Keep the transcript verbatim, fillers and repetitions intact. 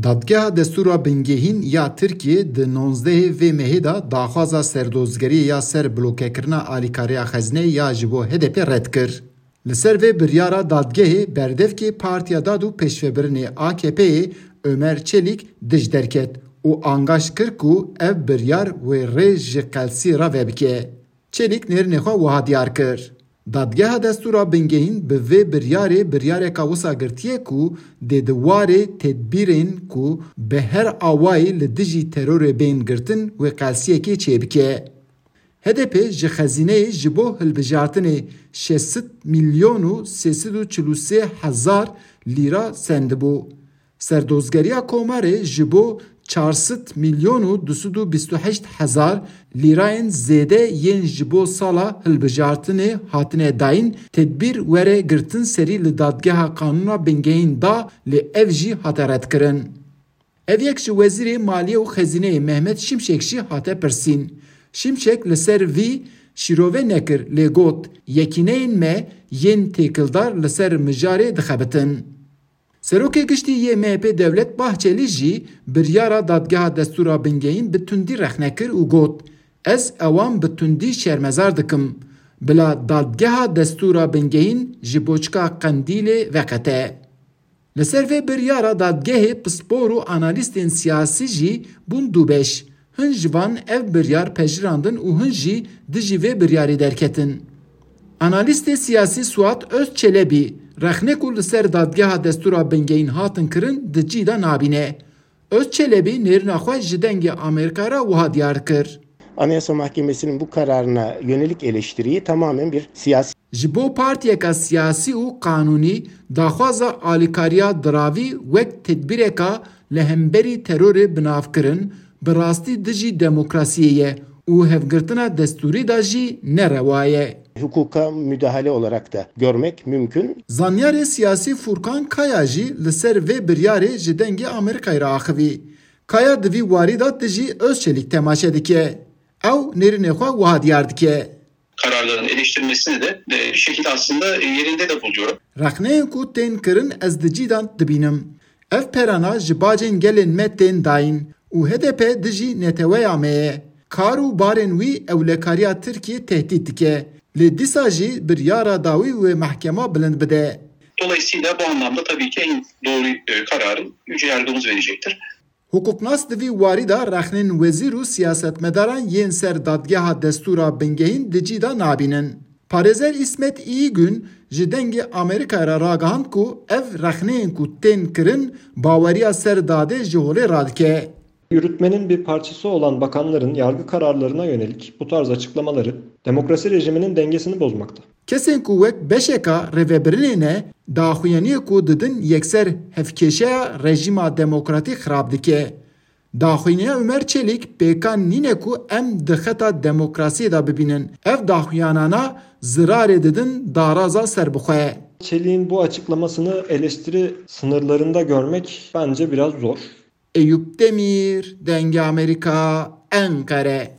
Dadgeha Destûra Bingehîn ya Tirkiyê di nonzdehê vê mehê de daxwaza serdozgeriyê ya ser blokekirina alîkariya xezîneyê ya ji bo H D P red kir. Li ser vê biryara dadgehê berdevkê Partiya Dad û Pêşvebirinê A K P'yê Ömer Çelik dij derket û angaş kir ku ev biryar wê rê ji qelsiyê re vebike. Çelik nêrînê xwe wiha diyar kir, Dadgeha Destûra Bingehîn bi vê biryarê biryareka wisa girtiye ku dê di warê tedbîrên ku bi her awayî li dijî terorê bên girtin wê qelsiyekê çêbike. H D P ji xezîneyê ji bo hilbijartinê şeş sed milyon û sê sed û çil û sê hezar lîra sendibû. Serdozgeriya Komarê ji bo çar sed milyon û du sed û bîst û heşt hezar lîrayên zêde yên ji bo sala hilbijartinê hatine dayîn tedbîr were girtin serî li Dadgeha Qanûna Bingehîn da, lê ev jî hate redkirin. Ev yek ji Wezîrê Maliyê û Xezîneyê Mehmet Şimşek jî hate pirsîn. Şimşek li ser vî şîrove nekir, lê got, Yekîneyên me yên têkildar li ser mijarê dixebitin. Serokê Giştî yê M H P Devlet Bahçelî jî biryara Dadgeha Destûra Bingehîn bi tundî rexne kir û got, Ez ewan bi tundî şermezar dikim. Bila Dadgeha Destûra Bingehîn ji boçika Qendîlê veqete. Li ser vê biryara dadgehê pispor û analîstên siyasî jî bûn du beş. Hin ji van ev biryar pejirandin û hin jî dijî vê biryarê derketin. Analîstê siyasî Suat Özçelebî rexnê ku li ser Dadgeha Destûra Bingehîn hatin kirin di cî de nabîne. Özçelebî nêrîna xwe ji Dengê Amerîka re wiha diyar kir. Anayasa Mahkemesi'nin bu kararına yönelik eleştiriyi tamamen bir siyasi. Ji bo partiyeka siyasî û qanûnî daxwaza alîkariya diravî wek tedbîreka li hemberî terorê binavkirin, bi rastî dijî demokrasiyê ye û hevgirtina destûrî de jî nerewa ye. Hukuka müdahale olarak da görmek mümkün. Zanyarê siyasî Furkan Kaya jî li ser vê biryarê ji Dengê Amerîkayê re axivî. Kaya di vî warî de dijî Özçelîk temaşe dike. Ew nêrînê xwe wiha diyar dike. Kararların eleştirmesini de e, şekilde aslında yerinde de buluyorum. Rexneyên ku tên kirin ez di cî de dibînim. Ev perana ji bacên gelên me tên dayîn û H D P dijî neteweya me ye. Kar û barên wî ewlekariya Tirkiyê tehdît dike. Lê dîsa jî biryara dawî wê mehkema bilind bide. Dolayısıyla bu anlamda tabii ki en doğru e, kararı Yüce Yargımız verecektir. Hiqûqnas di vî warî de rexnên wezîr û siyasetmedaran yên ser dadgeha destûra bingehîn di cî de nabînin. Parêzer Îsmet Îgün ji Dengê Amerîkayê re ragihand ku ev rexneyên ku tên kirin baweriya ser dadê ji holê radike. Yürütmenin bir parçası olan bakanların yargı kararlarına yönelik bu tarz açıklamaları demokrasi rejiminin dengesini bozmakta. Kesên ku wek beşeka rêvebirinê ne, daxuyaniyê ku didin yekser hevkêşeya rejîma demokratîk xirab dike. Daxuyaniya Umer Çelîk pêkan nîne ku em di xeta demokrasiyê de bibînin. Ev daxuyanana zirarê didin daraza serbixwe. Çelik'in bu açıklamasını eleştiri sınırlarında görmek bence biraz zor. Eyûp Demîr, Dengê Amerîka, Enqere.